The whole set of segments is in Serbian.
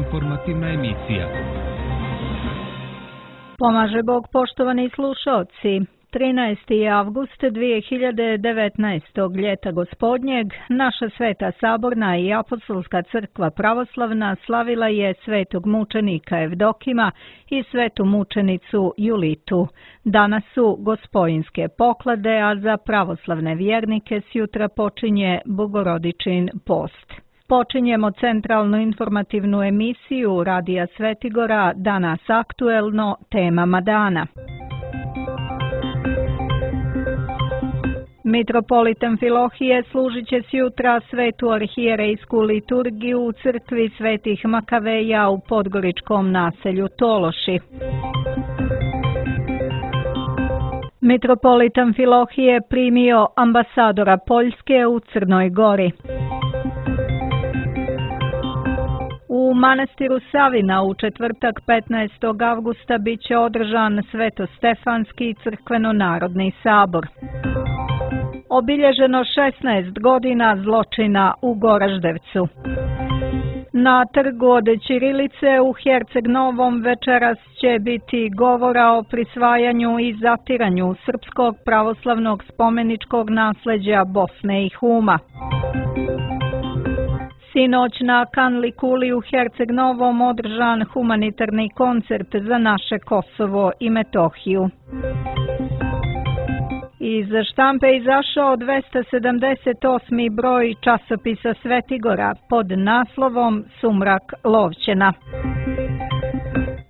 informativna emisija. Pomaže Bog, poštovani slušalci. 13. avgust 2019. ljeta gospodnjeg, naša Sveta Saborna i Apostolska crkva pravoslavna slavila je svetog mučenika Evdokima i svetu mučenicu Julitu. Danas su gospojinske poklade, a za pravoslavne vjernike sjutra počinje Bogorodičin post. Počinjemo centralnu informativnu emisiju Radija Svetigora, danas aktuelno, temama dana. Mitropolit Amfilohije služit će sjutra svetu arhijerejsku liturgiju u crkvi svetih Makaveja u podgoričkom naselju Tološi. Mitropolit Amfilohije primio ambasadora Poljske u Crnoj Gori. U manastiru Savina u četvrtak 15. avgusta bit će održan Svetostefanski crkveno-narodni sabor. Obilježeno 16 godina zločina u Goraždevcu. Na trgu od ćirilice u Herceg Novom večeras će biti govora o prisvajanju i zatiranju srpskog pravoslavnog spomeničkog nasljeđa Bosne i Huma. Sinoć na Kanli kuli u Herceg Novom održan humanitarni koncert za naše Kosovo i Metohiju. Iz štampe izašao 278. broj časopisa Svetigora pod naslovom Sumrak Lovćena.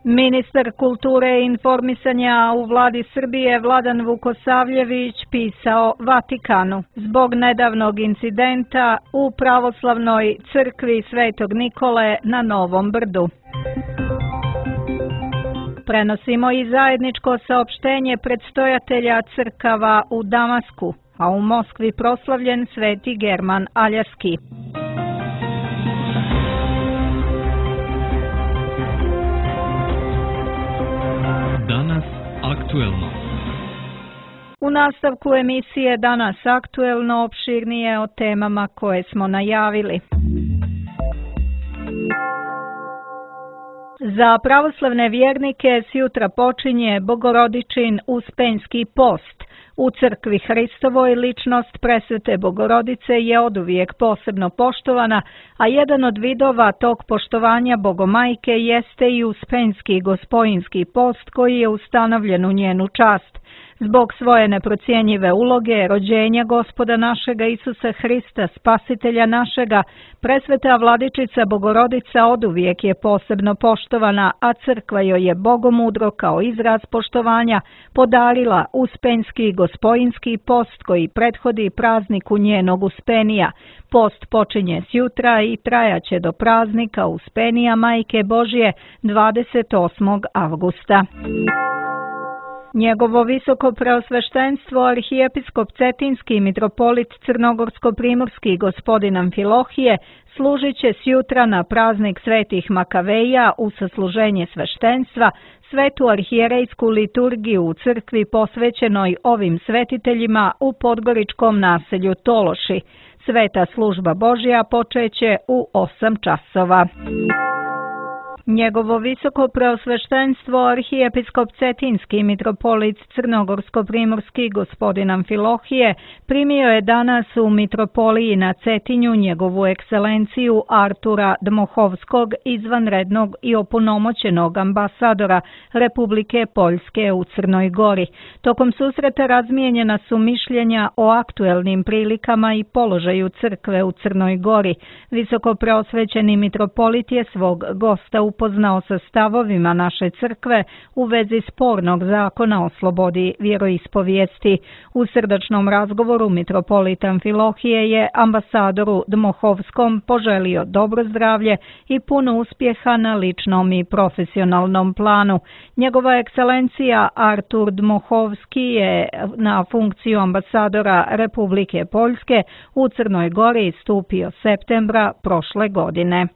Ministar kulture i informisanja u vladi Srbije Vladan Vukosavljević pisao Vatikanu zbog nedavnog incidenta u pravoslavnoj crkvi Svetog Nikole na Novom Brdu. Prenosimo i zajedničko saopštenje predstojatelja crkava u Damasku, a u Moskvi proslavljen Sveti German Aljarski. Danas aktuelno. U nastavku emisije Danas aktuelno opširnije o temama koje smo najavili. Za pravoslavne vjernike sjutra počinje Bogorodičin Uspenjski post. U crkvi Hristovoj ličnost presvete Bogorodice je oduvijek posebno poštovana, a jedan od vidova tog poštovanja Bogomajke jeste i Uspenjski gospojinski post koji je ustanovljen u njenu čast. Zbog svoje neprocjenjive uloge, rođenja Gospoda našega Isusa Hrista, Spasitelja našega, presveta Vladičica Bogorodica oduvijek je posebno poštovana, a crkva joj je bogomudro kao izraz poštovanja podarila Uspenjski gospojinski post koji prethodi prazniku njenog Uspenija. Post počinje sjutra i trajaće do praznika Uspenija Majke Božje 28. avgusta. Njegovo visoko preosveštenstvo arhijepiskop Cetinski mitropolit Crnogorsko-primorski gospodin Amfilohije služit će sjutra na praznik svetih Makaveja u sasluženje sveštenstva svetu arhijerejsku liturgiju u crkvi posvećenoj ovim svetiteljima u podgoričkom naselju Tološi. Sveta služba Božja počeće u 8 časova. Njegovo visoko preosveštenstvo arhijepiskop Cetinski mitropolit Crnogorsko-primorski gospodin Amfilohije primio je danas u mitropoliji na Cetinju njegovu ekscelenciju Artura Dmohovskog, izvanrednog i opunomoćenog ambasadora Republike Poljske u Crnoj Gori. Tokom susreta razmijenjena su mišljenja o aktuelnim prilikama i položaju crkve u Crnoj Gori. Visoko preosvećeni mitropolit je svog gosta upoznao sa stavovima naše crkve u vezi spornog zakona o slobodi vjeroispovijesti. U srdačnom razgovoru mitropolit Amfilohije je ambasadoru Dmohovskom poželio dobro zdravlje i puno uspjeha na ličnom i profesionalnom planu. Njegova ekscelencija Artur Dmohovski je na funkciju ambasadora Republike Poljske u Crnoj Gori stupio septembra prošle godine.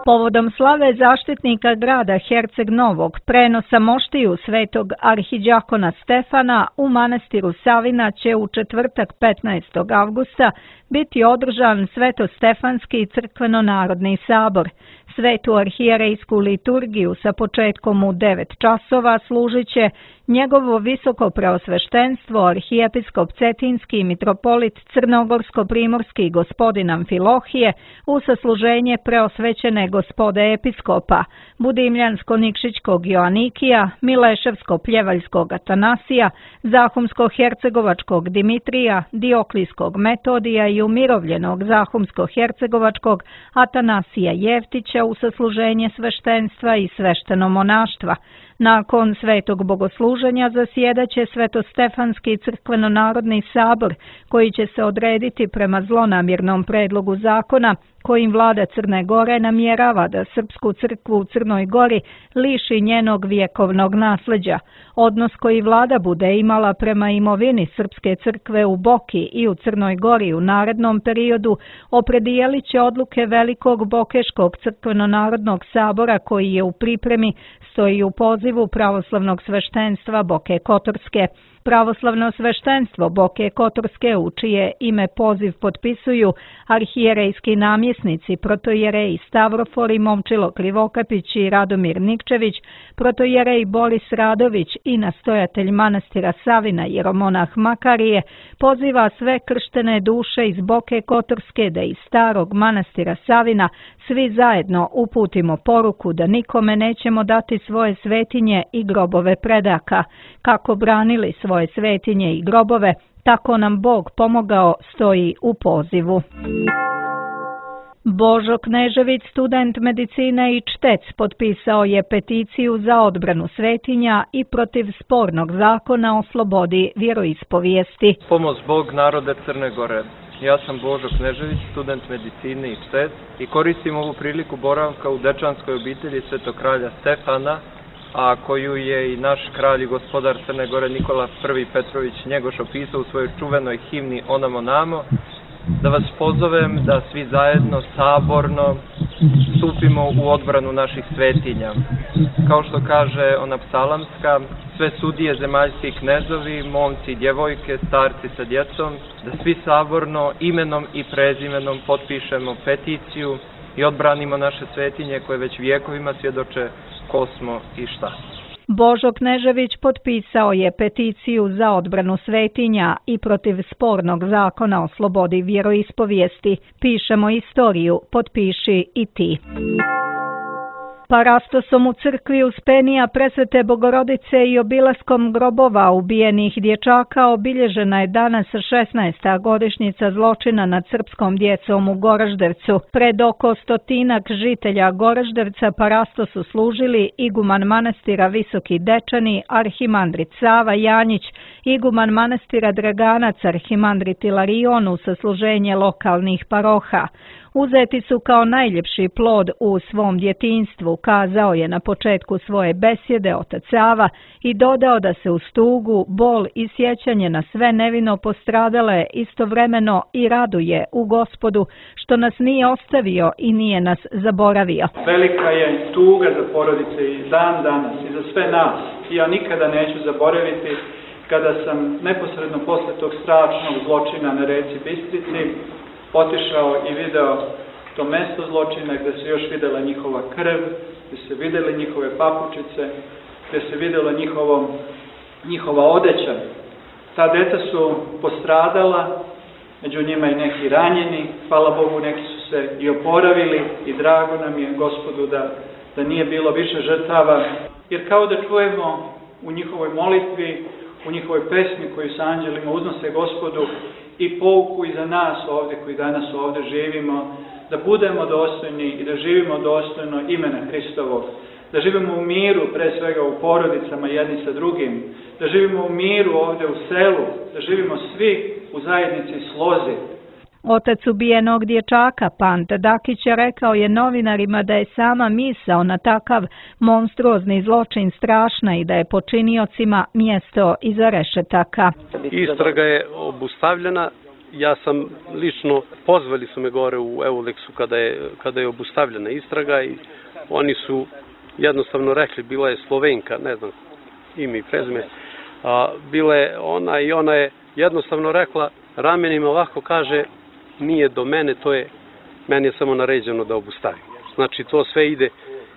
Povodom slave zaštitnika grada Herceg Novog, prenosa moštiju svetog arhidjakona Stefana u manastiru Savina će u četvrtak 15. avgusta biti održan Svetostefanski crkveno-narodni sabor. Svetu arhijerejsku liturgiju sa početkom u 9 časova služit će njegovo visoko preosveštenstvo arhijepiskop Cetinski mitropolit Crnogorsko-primorski gospodin Amfilohije u sasluženje preosvećene gospode episkopa Budimljansko-Nikšićkog Joanikija, Mileševsko-pljevaljskog Atanasija, Zahumsko-hercegovačkog Dimitrija, Dioklijskog Metodija i umirovljenog Zahumsko-hercegovačkog Atanasija Jevtića u sasluženje sveštenstva i svešteno monaštva. Nakon svetog bogosluženja zasjedaće Svetostefanski crkveno-narodni sabor, koji će se odrediti prema zlonamjernom predlogu zakona kojim vlada Crne Gore namjerava da Srpsku crkvu u Crnoj Gori liši njenog vjekovnog nasljeđa. Odnos koji vlada bude imala prema imovini Srpske crkve u Boki i u Crnoj Gori u narednom periodu opredijelit će odluke Velikog Bokeškog crkveno-narodnog sabora koji je u pripremi, stoji u pozivu pravoslavnog sveštenstva Boke Kotorske. Pravoslavno sveštenstvo Boke Kotorske, u čije ime poziv potpisuju arhijerejski namjesnici protojerej Stavrofor Momčilo Krivokapić i Radomir Nikčević, protojerej Boris Radović i nastojatelj manastira Savina jeromonah Makarije, poziva sve krštene duše iz Boke Kotorske da iz starog manastira Savina svi zajedno uputimo poruku da nikome nećemo dati svoje svetinje i grobove predaka. Kako branili svoje svetinje i grobove, tako nam Bog pomogao, stoji u pozivu. Božo Knežević, student medicine i čtec, potpisao je peticiju za odbranu svetinja i protiv spornog zakona o slobodi vjeroispovijesti. Pomoz Bog narode Crne Gore. Ja sam Božo Knežević, student medicine i čtec i koristim ovu priliku boravka u dečanskoj obitelji Svetog kralja Stefana, a koju je i naš kralj i gospodar Crne Gore Nikola I Petrović Njegoš opisao u svojoj čuvenoj himni Onamo Namo, da vas pozovem da svi zajedno saborno stupimo u odbranu naših svetinja. Kao što kaže ona psalamska, sve sudije, zemaljski knezovi, momci i djevojke, starci sa djecom, da svi saborno imenom i prezimenom potpišemo peticiju i odbranimo naše svetinje koje već vijekovima svjedoče ko smo i šta. Božo Knežević potpisao je peticiju za odbranu svetinja i protiv spornog zakona o slobodi vjeroispovijesti. Pišemo istoriju, potpiši i ti. Parastosom u crkvi Uspenija Presvete Bogorodice i obilaskom grobova ubijenih dječaka obilježena je danas 16. godišnjica zločina nad srpskom djecom u Goraždevcu. Pred oko 100 žitelja Goraždevca parastosu služili iguman manastira Visoki Dečani, arhimandrit Sava Janjić, iguman manastira Draganac, arhimandrit Ilarion u sasluženje lokalnih paroha. Uzeti su kao najljepši plod u svom djetinjstvu, kazao je na početku svoje besjede otac Sava i dodao da se uz tugu, bol i sjećanje na sve nevino postradale istovremeno i raduje u Gospodu što nas nije ostavio i nije nas zaboravio. Velika je tuga za porodice i dan danas i za sve nas. Ja nikada neću zaboraviti kada sam neposredno posle tog strašnog zločina na reci Bistrici otišao i video to mesto zločina gdje se još vidjela njihova krv, gdje se vidjeli njihove papučice, gdje se vidjela njihova odeća. Ta djeca su postradala, među njima i neki ranjeni, hvala Bogu neki su se i oporavili i drago nam je Gospodu da nije bilo više žrtava. Jer kao da čujemo u njihovoj molitvi, u njihovoj pesmi koju sa anđelima uznose Gospodu, i pouku i za nas ovdje koji danas ovdje živimo, da budemo dostojni i da živimo dostojno imena Hristovog, da živimo u miru, pre svega u porodicama jedni sa drugim, da živimo u miru ovdje u selu, da živimo svi u zajednici slozi. Otac ubijenog dječaka, Panta Dakić, rekao je novinarima da je sama misao na takav monstruozni zločin strašna i da je počiniocima mjesto iza rešetaka. Istraga je obustavljena Ja sam lično, pozvali su me gore u Euleksu kada je obustavljena istraga i oni su jednostavno rekli, bila je Slovenka, ne znam ime i prezime, bila je ona i ona je jednostavno rekla, ramenima ovako kaže, nije do mene, meni je samo naređeno da obustavim. Znači to sve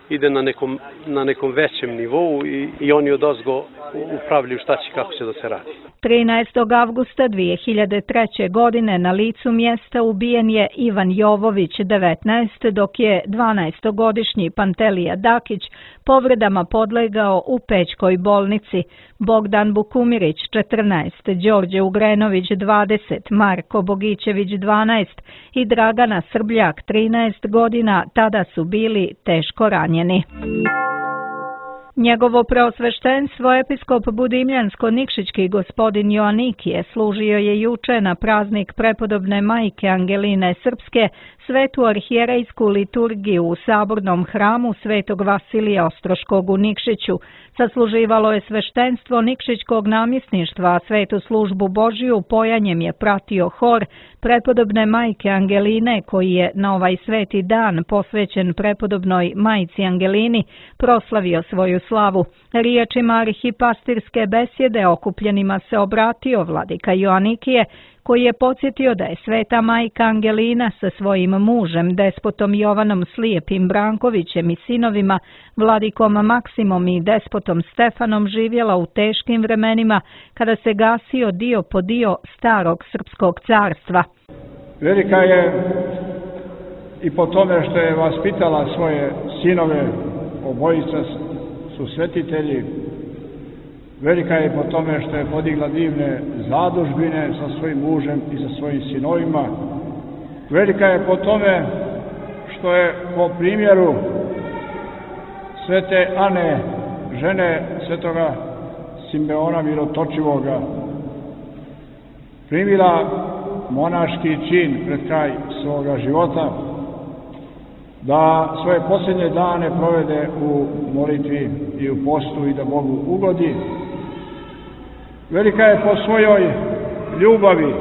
ide na nekom većem nivou i oni odozgo upravljaju šta će, kako će da se radi. 13. avgusta 2003. godine na licu mjesta ubijen je Ivan Jovović, 19, dok je 12-godišnji Pantelija Dakić povredama podlegao u Pećkoj bolnici. Bogdan Bukumirić, 14, Đorđe Ugrenović, 20, Marko Bogićević, 12 i Dragana Srbljak, 13 godina, tada su bili teško ranjeni. Njegovo preosveštenstvo episkop Budimljansko-Nikšićki gospodin Joanikije služio je juče na praznik prepodobne majke Angeline Srpske svetu arhijerejsku liturgiju u sabornom hramu Svetog Vasilija Ostroškog u Nikšiću. Sasluživalo je sveštenstvo Nikšićkog namjesništva, a svetu službu Božiju pojanjem je pratio hor prepodobne majke Angeline, koji je na ovaj sveti dan posvećen prepodobnoj majci Angelini proslavio svoju slavu. Riječima arhipastirske besjede okupljenima se obratio vladika Joanikije, koji je podsjetio da je sveta majka Angelina sa svojim mužem, despotom Jovanom Slijepim Brankovićem i sinovima, vladikom Maksimom i despotom Stefanom živjela u teškim vremenima kada se gasio dio po dio starog srpskog carstva. Velika je i po tome što je vaspitala svoje sinove, obojica su svetitelji. Velika je po tome što je podigla divne zadužbine sa svojim mužem i sa svojim sinovima. Velika je po tome što je po primjeru svete Ane, žene svetoga Simeona Mirotočivoga, primila monaški čin pred kraj svoga života, da svoje posljednje dane provede u molitvi i u postu i da Bogu ugodi. Velika je po svojoj ljubavi,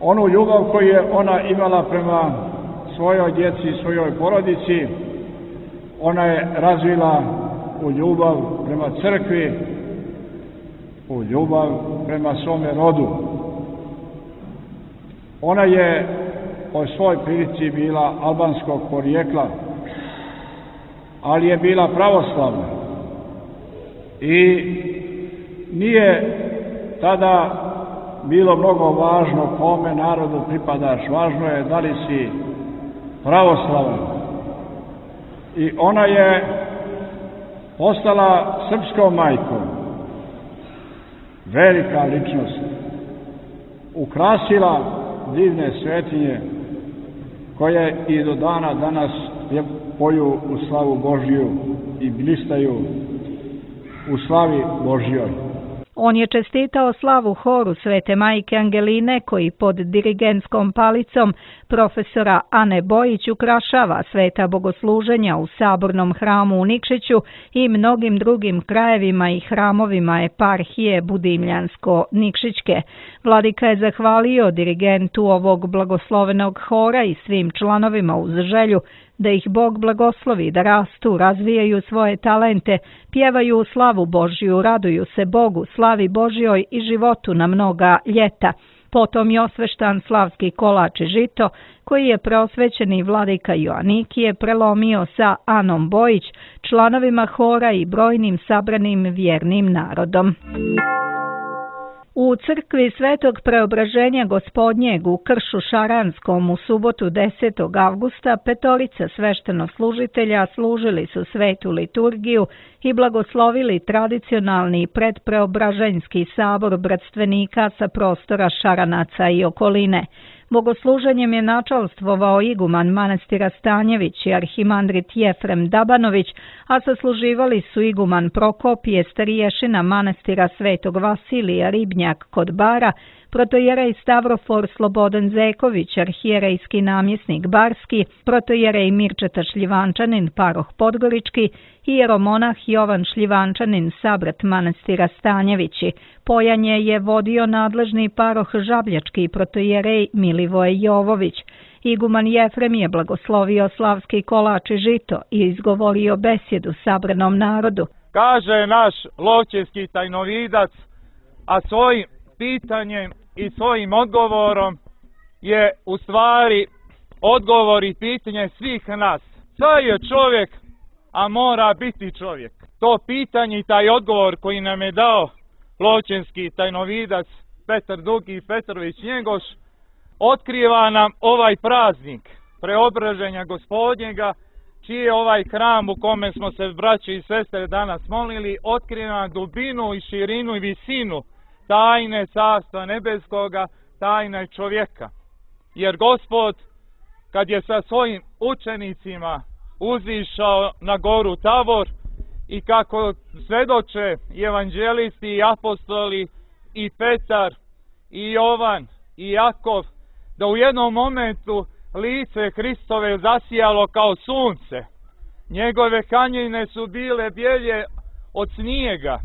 onu ljubav koju je ona imala prema svojoj djeci i svojoj porodici, ona je razvila u ljubav prema crkvi, u ljubav prema svome rodu. Ona je po svoj prilici bila albanskog porijekla, ali je bila pravoslavna i nije tada bilo mnogo važno kome narodu pripadaš, važno je da li si pravoslavan. I ona je postala srpskom majkom, velika ličnost, ukrasila divne svetinje koje i do dana danas poju u slavu Božju i blistaju u slavi Božjoj. On je čestitao slavu horu Svete majke Angeline, koji pod dirigentskom palicom profesora Ane Bojić ukrašava sveta bogosluženja u sabornom hramu u Nikšiću i mnogim drugim krajevima i hramovima eparhije Budimljansko-Nikšićke. Vladika je zahvalio dirigentu ovog blagoslovenog hora i svim članovima uz želju da ih Bog blagoslovi, da rastu, razvijaju svoje talente, pjevaju u slavu Božju, raduju se Bogu, slavi Božjoj i životu na mnoga ljeta. Potom je osveštan slavski kolač i žito, koji je preosvećeni vladika Joanikije prelomio sa Anom Bojić, članovima hora i brojnim sabranim vjernim narodom. U crkvi Svetog Preobraženja Gospodnjeg u Kršu Šaranskom u subotu 10. avgusta petorica sveštenoslужitelja služili su svetu liturgiju i blagoslovili tradicionalni predpreobraženjski sabor bratstvenika sa prostora Šaranaca i okoline. Bogosluženjem je načalstvovao iguman manastira Stanjević i arhimandrit Jefrem Dabanović, a sasluživali su iguman Prokopije, stariješina manastira Svetog Vasilija Ribnjak kod Bara, protojerej Stavrofor Slobodan Zeković, arhijerejski namjesnik Barski, protojerej Mirčeta Šljivančanin, paroh Podgorički, hieromonah Jovan Šljivančanin, sabrat manastira Stanjevići. Pojanje je vodio nadležni paroh Žabljački, protojerej Milivoje Jovović. Iguman Jefrem je blagoslovio slavski kolač i žito i izgovorio besjedu sabranom narodu. Kaže naš lovčevski tajnovidac, a svojim pitanjem i svojim odgovorom je u stvari odgovor i pitanje svih nas. Šta je čovjek, a mora biti čovjek? To pitanje i taj odgovor koji nam je dao lovčevski tajnovidac Petar Dugi Petrović Njegoš otkriva nam ovaj praznik preobraženja Gospodnjega, čiji je ovaj hram u kome smo se braće i sestre danas molili, otkriva dubinu i širinu i visinu tajne Carstva nebeskoga, tajne čovjeka. Jer Gospod, kad je sa svojim učenicima uzišao na goru Tabor i kako svedoče i evanđelisti i apostoli i Petar i Jovan i Jakov, da u jednom momentu lice Hristove zasijalo kao sunce. Njegove hanjine su bile bijelje od snijega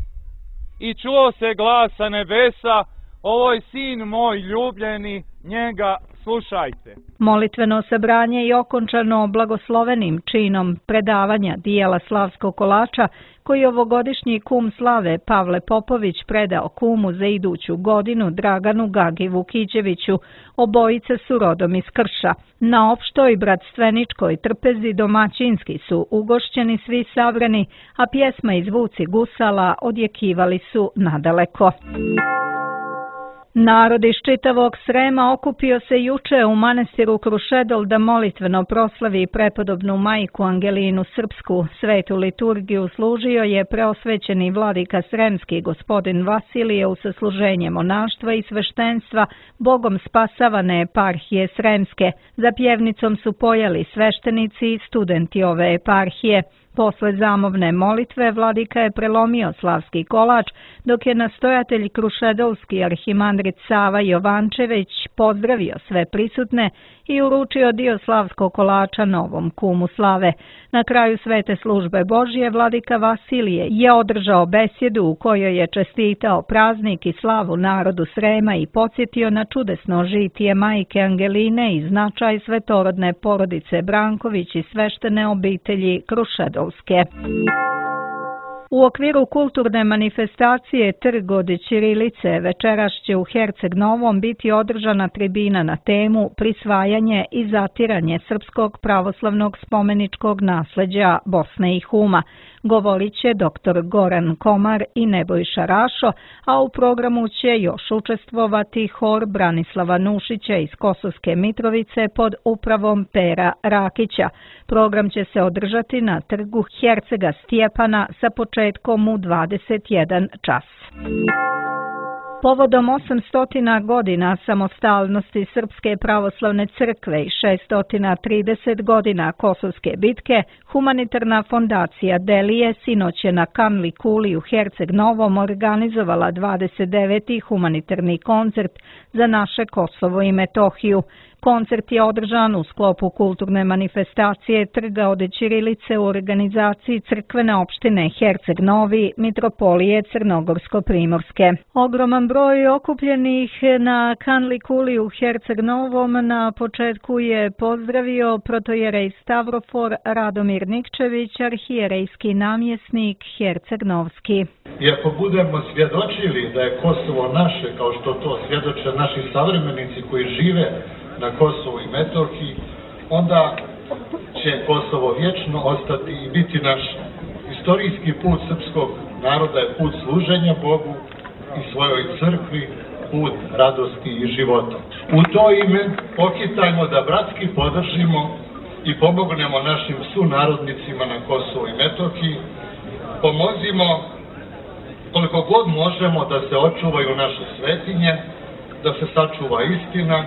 i čuo se glas sa nebesa: ovo je sin moj ljubljeni, njega slušajte. Molitveno sabranje je okončano blagoslovenim činom predavanja dijela slavskog kolača koji ovogodišnji kum slave Pavle Popović predao kumu za iduću godinu Draganu Gagi Vukićeviću. Obojice su rodom iz Krša. Na opštoj bratstveničkoj trpezi domaćinski su ugošćeni svi sabrani, a pjesma i zvuci gusala odjekivali su nadaleko. Narod iz čitavog Srema okupio se juče u manastiru Krušedol da molitveno proslavi prepodobnu majku Angelinu Srpsku. Svetu liturgiju služio je preosvećeni vladika Sremski gospodin Vasilije u sasluženje monaštva i sveštenstva Bogom spasavane eparhije Sremske. Za pjevnicom su pojeli sveštenici i studenti ove eparhije. Posle zamovne molitve vladika je prelomio slavski kolač, dok je nastojatelj krušedolski arhimandrit Sava Jovančević pozdravio sve prisutne i uručio dio slavskog kolača novom kumu slave. Na kraju svete službe Božje vladika Vasilije je održao besjedu u kojoj je čestitao praznik i slavu narodu Srema i podsjetio na čudesno žitije majke Angeline i značaj svetorodne porodice Branković i sveštene obitelji Krušedolske. U okviru kulturne manifestacije Trg od ćirilice večeras će u Herceg Novom biti održana tribina na temu Prisvajanje i zatiranje srpskog pravoslavnog spomeničkog nasleđa Bosne i Huma. Govorit će dr. Goran Komar i Nebojša Rašo, a u programu će još učestvovati hor Branislava Nušića iz Kosovske Mitrovice pod upravom Pera Rakića. Program će se održati na trgu Hercega Stjepana sa početkom u 21 čas. Povodom 800 godina samostalnosti Srpske pravoslavne crkve i 630 godina Kosovske bitke, humanitarna fondacija Delije sinoć je na Kanli Kuli u Herceg Novom organizovala 29. humanitarni koncert za naše Kosovo i Metohiju. Koncert je održan u sklopu kulturne manifestacije Trga od ćirilice u organizaciji crkvene opštine Herceg Novi, Mitropolije Crnogorsko-Primorske. Ogroman broj okupljenih na Kanli Kuli u Herceg Novom na početku je pozdravio protojerej Stavrofor Radomir Nikčević, arhijerejski namjesnik Herceg Novski. I ako budemo svjedočili da je Kosovo naše, kao što to svjedoče naši savremenici koji žive na Kosovu i Metohiji, onda će Kosovo vječno ostati i biti naš. Istorijski put srpskog naroda je put služenja Bogu i svojoj crkvi, put radosti i života. U to ime pohitajmo da bratski podržimo i pomognemo našim sunarodnicima na Kosovu i Metohiji. Pomozimo koliko god možemo da se očuvaju naše svetinje, da se sačuva istina,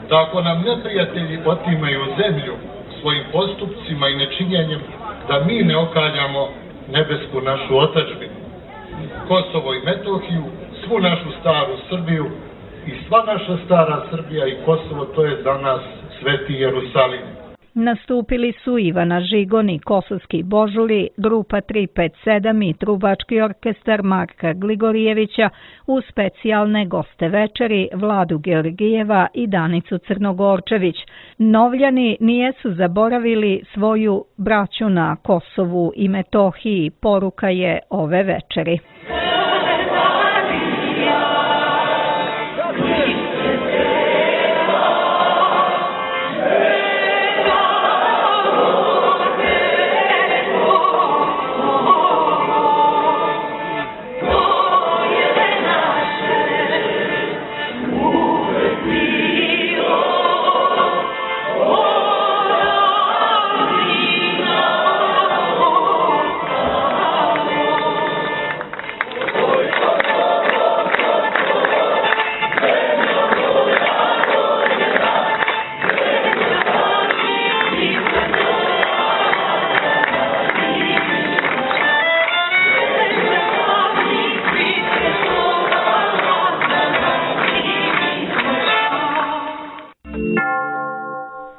da ako nam neprijatelji otimaju zemlju svojim postupcima i nečinjenjem, da mi ne okaljamo nebesku našu otadžbinu. Kosovo i Metohiju, svu našu staru Srbiju i sva naša stara Srbija i Kosovo, to je za nas Sveti Jerusalim. Nastupili su Ivana Žigoni, Kosovski Božuri, grupa 357 i trubački orkestar Marka Gligorijevića uz specijalne goste večeri Vladu Georgijeva i Danicu Crnogorčević. Novljani nijesu zaboravili svoju braću na Kosovu i Metohiji, poruka je ove večeri.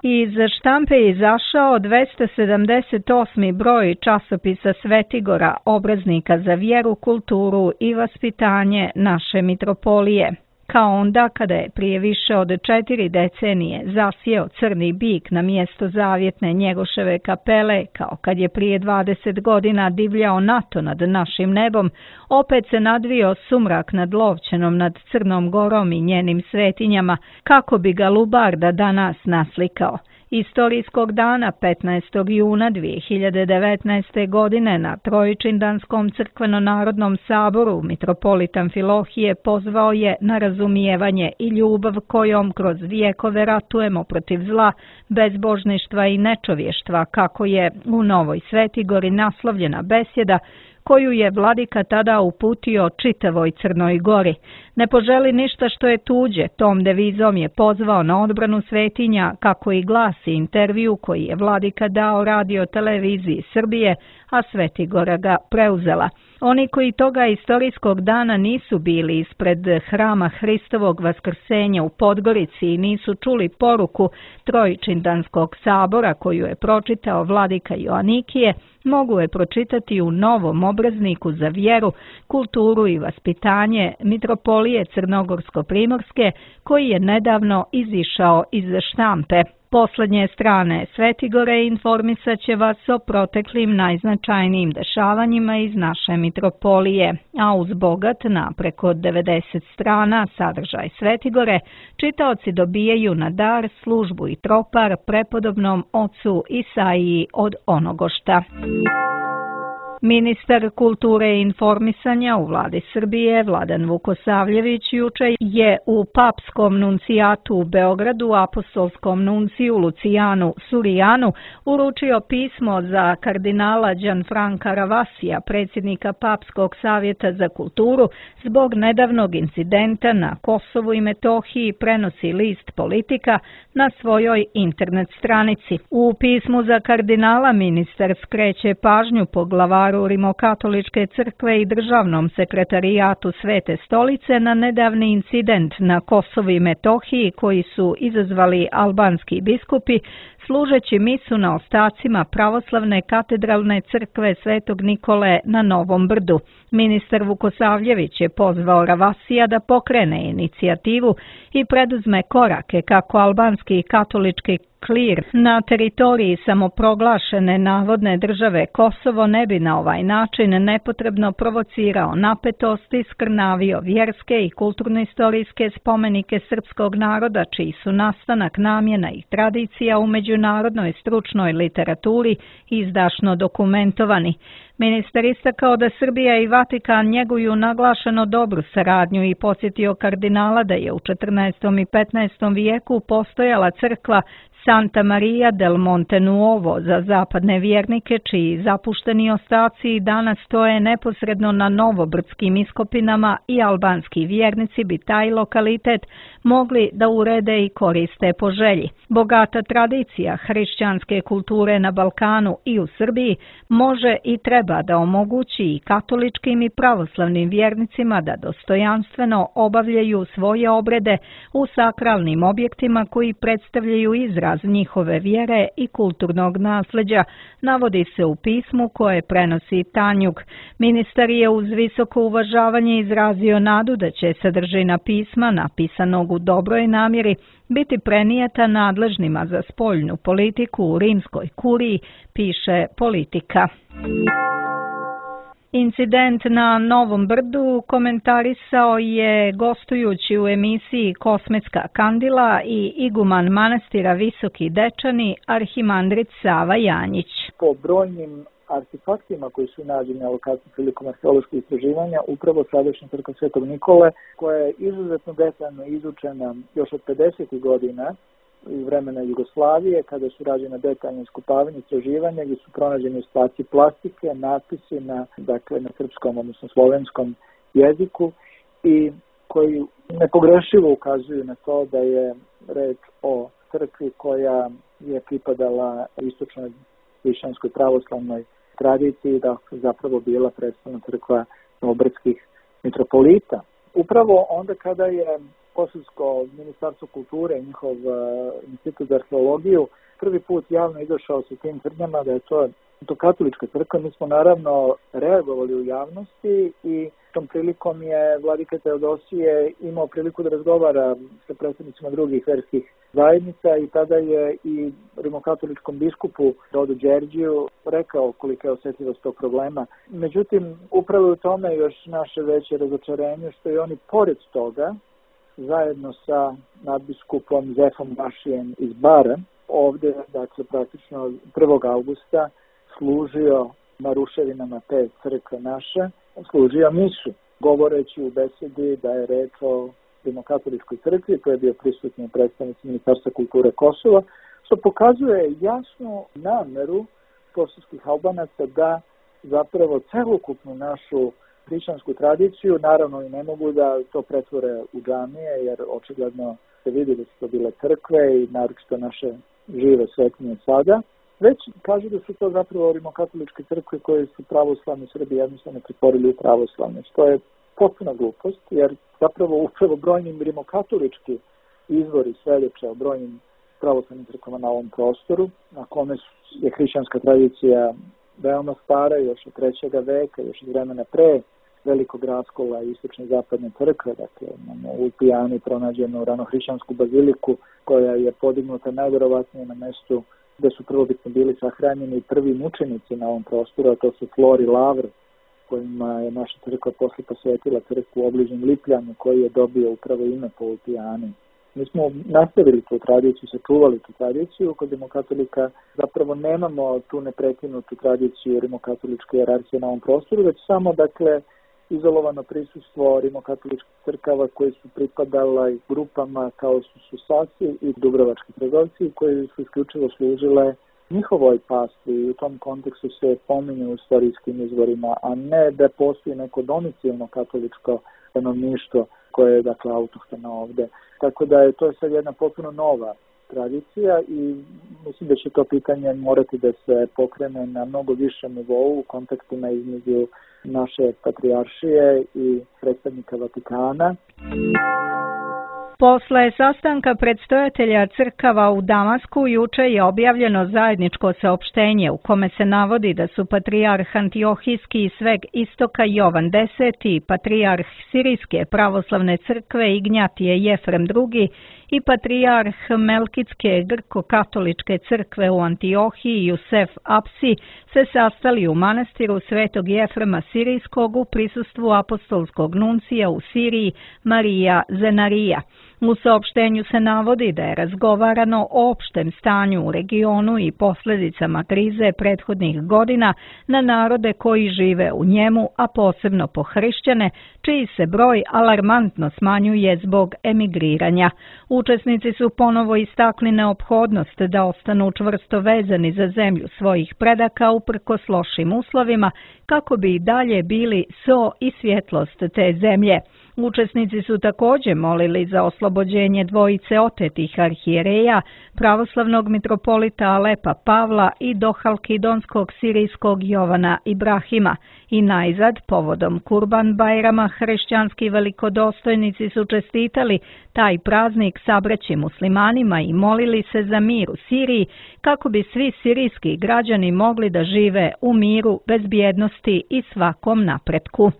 Iz štampe je izašao 278. broj časopisa Svetigora, obraznika za vjeru, kulturu i vaspitanje naše mitropolije. Kao onda kada je prije više od 4 decenije zasjeo crni bik na mjesto zavjetne Njegoševe kapele, kao kad je prije 20 godina divljao NATO nad našim nebom, opet se nadvio sumrak nad Lovćenom, nad Crnom Gorom i njenim svetinjama, kako bi ga Lubarda danas naslikao. Istorijskog dana 15. juna 2019. godine na Trojičindanskom crkveno-narodnom saboru mitropolit Amfilohije pozvao je na razumijevanje i ljubav kojom kroz vijekove ratujemo protiv zla, bezbožništva i nečovještva, kako je u Novoj Svetigori naslovljena besjeda koju je vladika tada uputio čitavoj Crnoj Gori. Ne poželi ništa što je tuđe, tom devizom je pozvao na odbranu svetinja, kako i glasi intervju koji je vladika dao radio televiziji Srbije, a Svetigora ga preuzela. Oni koji toga istorijskog dana nisu bili ispred hrama Hristovog vaskrsenja u Podgorici i nisu čuli poruku Trojičindanskog sabora koju je pročitao vladika Joanikije, mogu je pročitati u novom obrazniku za vjeru, kulturu i vaspitanje mitropolije Crnogorsko-Primorske, koji je nedavno izišao iz štampe. Poslednje strane Svetigore informisat će vas o proteklim najznačajnijim dešavanjima iz naše mitropolije, a uz bogat na preko 90 strana sadržaj Svetigore, čitaoci dobijaju na dar službu i tropar prepodobnom ocu Isaiji od Onogošta. Ministar kulture i informisanja u vladi Srbije, Vladan Vukosavljević, juče je u papskom nuncijatu u Beogradu apostolskom nunciju Lucijanu Surijanu uručio pismo za kardinala Gianfranca Ravasija, predsjednika Papskog savjeta za kulturu, zbog nedavnog incidenta na Kosovu i Metohiji, prenosi list Politika na svojoj internet stranici. U pismu za kardinala ministar skreće pažnju poglavaru Rimokatoličke crkve i državnom sekretarijatu Svete stolice na nedavni incident na Kosovu i Metohiji koji su izazvali albanski biskupi služeći misu na ostacima pravoslavne katedralne crkve Svetog Nikole na Novom Brdu. Ministar Vukosavljević je pozvao Ravasija da pokrene inicijativu i preduzme korake kako albanski katolički klir na teritoriji samoproglašene navodne države Kosovo ne bi na ovaj način nepotrebno provocirao napetost i skrnavio vjerske i kulturno-istorijske spomenike srpskog naroda, čiji su nastanak, namjena i tradicija u međunarodnoj stručnoj literaturi izdašno dokumentovani. Ministar istakao da Srbija i Vatikan njeguju naglašeno dobru saradnju i podsjetio kardinala da je u 14. i 15. vijeku postojala crkva Santa Maria del Monte Nuovo za zapadne vjernike čiji zapušteni ostaci danas stoje neposredno na novobrdskim iskopinama i albanski vjernici bi taj lokalitet mogli da urede i koriste po želji. Bogata tradicija hrišćanske kulture na Balkanu i u Srbiji može i treba da omogući i katoličkim i pravoslavnim vjernicima da dostojanstveno obavljaju svoje obrede u sakralnim objektima koji predstavljaju izraz njihove vjere i kulturnog nasljeđa, navodi se u pismu koje prenosi Tanjug. Ministar je uz visoko uvažavanje izrazio nadu da će sadržina pisma, napisanog u dobroj namjeri, biti prenijeta nadležnima za spoljnu politiku u rimskoj kuriji, piše Politika. Incident na Novom Brdu komentarisao je gostujući u emisiji Kosmetska kandila i iguman manastira Visoki Dečani, arhimandrit Sava Janjić. Po brojnim artefaktima koji su nađeni na lokaciji prilikom arheoloških istraživanja, upravo sadašnja crkva Svetog Nikole, koja je izuzetno detaljno izučena još od 50. godina iz vremena Jugoslavije, kada su rađene detaljne iskopavanje istraživanja, gdje su pronađeni ostaci plastike, natpisi na srpskom, odnosno slovenskom jeziku i koji nepogrešivo ukazuju na to da je reč o crkvi koja je pripadala istočnoj hrišćanskoj pravoslavnoj tradiciji, da zapravo bila predstavna crkva novobrdskih mitropolita. Upravo onda kada je Kosovsko ministarstvo kulture i njihov institut za arheologiju prvi put javno izašao sa tim tvrdnjama da je to katolička crkva, mi smo naravno reagovali u javnosti i tom prilikom je vladika Teodosije imao priliku da razgovara sa predstavnicima drugih verskih zajednica i tada je i rimokatoličkom biskupu Rodu Đerđiju rekao kolika je osjetljivost tog problema. Međutim, upravo u tome još naše veće razočarenje što i oni pored toga zajedno sa nadbiskupom Zefom Bašijem iz Bara, ovdje, praktično 1. augusta, služio na ruševinama te crkve naše, služio misu, govoreći u besedi da je reč o rimokatoličkoj crkvi, to je bio prisutni predstavnik Ministarstva kulture Kosova, što pokazuje jasnu nameru kosovskih Albanaca da zapravo celokupnu našu hrišćansku tradiciju, naravno i ne mogu da to pretvore u džamije, jer očigledno se vidi da su to bile crkve i naročito naše žive svetinje sada, već kažu da su to zapravo rimokatoličke crkve koje su pravoslavni Srbi jednostavno pretvorili u pravoslavne, što je potpuna glupost, jer zapravo upravo brojnim rimokatolički izvori svedoče o brojnim pravoslavnim crkvama na ovom prostoru, na kome je hrišćanska tradicija veoma stara, još od 3. veka, još iz vremena pre velikog raskola istočne i zapadne crkve, u Pijani pronađenu ranohrišćansku baziliku koja je podignuta najverovatnije na mestu gde su prvobitno bili sahranjeni prvi mučenici na ovom prostoru, a to su Flor i Lavr, kojima je naša crkva posle posvetila crkvu u obližnjem Lipljanu, koji je dobio upravo ime po Pijani. Mi smo nastavili tu tradiciju, sačuvali tu tradiciju, kod rimokatolika zapravo nemamo tu neprekinutu tradiciju rimokatoličke jerarhije na ovom prostoru, već samo, izolovano prisustvo rimokatoličkih crkava koji su pripadala grupama kao su Susasi i Dubrovački trgovci koji su isključivo služile njihovoj pasti i u tom kontekstu se pominju u istorijskim izvorima, a ne da postoji neko domicilno katoličko stanovništvo koje je autohtono ovde. Tako da je to sad jedna potpuno nova tradicija i mislim da će to pitanje morati da se pokrene na mnogo višem nivou u kontaktima između naše patrijaršije i predstavnika Vatikana. Posle sastanka predstojatelja crkava u Damasku juče je objavljeno zajedničko saopštenje u kome se navodi da su patrijarh Antiohijski i Sveg Istoka Jovan X i patrijarh Sirijske pravoslavne crkve Ignjatije Jefrem II i patrijarh Melkitske grko-katoličke crkve u Antiohiji Jusef Apsi se sastali u manastiru Svetog Jefrema Sirijskog u prisustvu apostolskog nuncija u Siriji Marija Zenarija. U saopštenju se navodi da je razgovarano o opštem stanju u regionu i posljedicama krize prethodnih godina na narode koji žive u njemu, a posebno po hrišćane, čiji se broj alarmantno smanjuje zbog emigriranja. Učesnici su ponovo istakli neophodnost da ostanu čvrsto vezani za zemlju svojih predaka uprkos lošim uslovima, kako bi i dalje bili so i svjetlost te zemlje. Učesnici su također molili za oslobođenje dvojice otetih arhijereja, pravoslavnog mitropolita Alepa Pavla i dohalkidonskog sirijskog Jovana Ibrahima. I najzad, povodom Kurban Bajrama, hrišćanski velikodostojnici su čestitali taj praznik sabraći muslimanima i molili se za mir u Siriji, kako bi svi sirijski građani mogli da žive u miru, bezbjednosti i svakom napretku.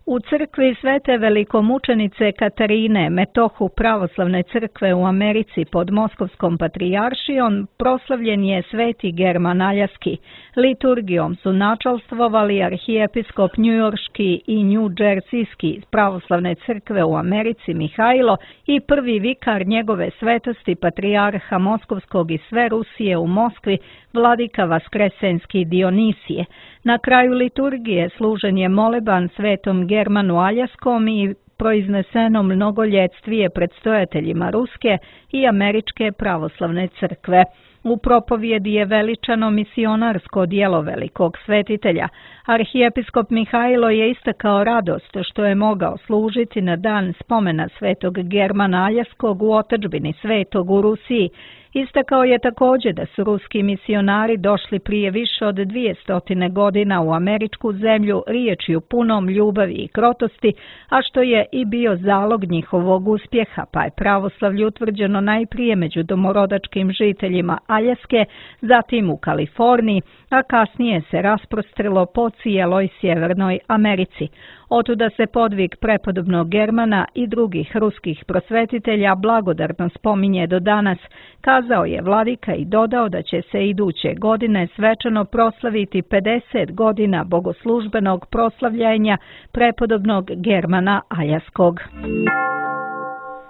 U crkvi Svete velikomučenice Katarine, metohu pravoslavne crkve u Americi pod Moskovskom patrijaršijom, proslavljen je Sveti German Aljaski. Liturgijom su načalstvovali arhijepiskop njujorški i njudžersijski pravoslavne crkve u Americi Mihajlo i prvi vikar njegove svetosti patrijarha Moskovskog i sve Rusije u Moskvi, vladika Vaskresenski Dionisije. Na kraju liturgije služen je moleban Svetom Germanu Aljaskom i proizneseno mnogoljetvije predstojateljima Ruske i Američke pravoslavne crkve. U propovjedi je veličano misionarsko djelo velikog svetitelja. Arhijepiskop Mihajlo je istakao radost što je mogao služiti na dan spomena Svetog Germana Aljaskog u otadžbini Svetog u Rusiji. Istakao je također da su ruski misionari došli prije više od 200 godina u američku zemlju riječju punom ljubavi i krotosti, a što je i bio zalog njihovog uspjeha, pa je pravoslavlje utvrđeno najprije među domorodačkim žiteljima Aljaske, zatim u Kaliforniji, a kasnije se rasprostrelo po cijeloj Sjevernoj Americi. Otuda se podvig prepodobnog Germana i drugih ruskih prosvetitelja blagodarno spominje do danas, kazao je vladika i dodao da će se iduće godine svečano proslaviti 50 godina bogoslužbenog proslavljanja prepodobnog Germana Aljaskog.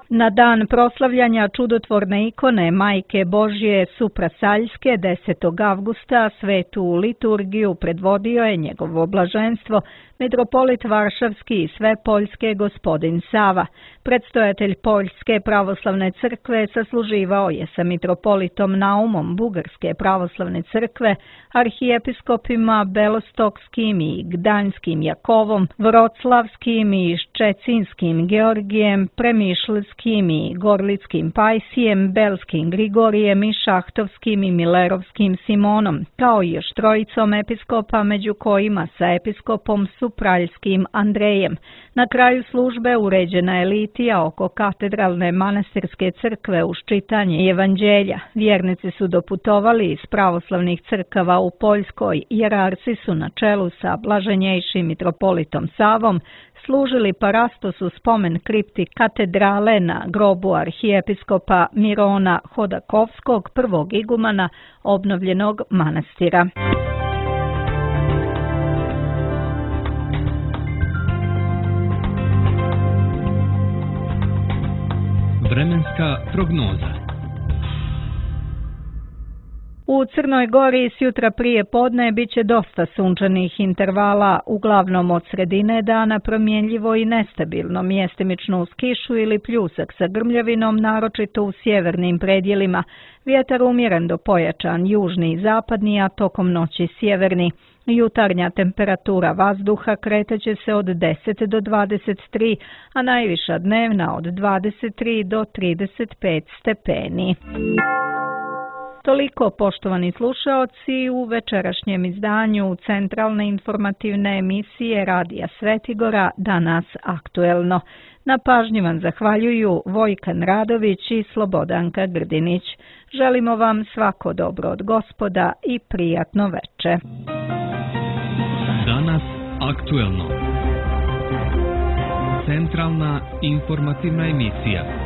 Na dan proslavljanja čudotvorne ikone Majke Božje Suprasaljske 10. avgusta svetu liturgiju predvodio je njegovo blaženstvo mitropolit Varšavski i Svepoljske gospodin Sava. Predstojatelj Poljske pravoslavne crkve sasluživao je sa mitropolitom Naumom Bugarske pravoslavne crkve, arhijepiskopima Belostokskim i Gdańskim Jakovom, Vroclavskim i Ščecinskim Georgijem, Premišlskim i Gorlickim Pajsijem, Belskim Grigorijem i Šahtovskim i Milerovskim Simonom, kao i još trojicom episkopa, među kojima sa episkopom Supraljskim Andrejem. Na kraju službe uređena je litija oko katedralne manastirske crkve uz čitanje evanđelja. Vjernici su doputovali iz pravoslavnih crkava u Poljskoj, jerarci su na čelu sa blaženjejšim mitropolitom Savom služili parastos u spomen kripti katedrale na grobu arhijepiskopa Mirona Hodakovskog, prvog igumana obnovljenog manastira. Vremenska prognoza. U Crnoj Gori sjutra prije podne bit će dosta sunčanih intervala, uglavnom od sredine dana promjenljivo i nestabilno, mjestimično uz kišu ili pljusak sa grmljavinom, naročito u sjevernim predjelima. Vjetar umjeren do pojačan, južni i zapadni, a tokom noći sjeverni. Jutarnja temperatura vazduha kreteće se od 10 do 23, a najviša dnevna od 23 do 35 stepeni. Toliko, poštovani slušaoci, u večerašnjem izdanju centralne informativne emisije Radija Svetigora Danas aktuelno. Na pažnji vam zahvaljuju Vojkan Radović i Slobodanka Grdinić. Želimo vam svako dobro od Gospoda i prijatno veče. Danas aktuelno. Centralna informativna emisija.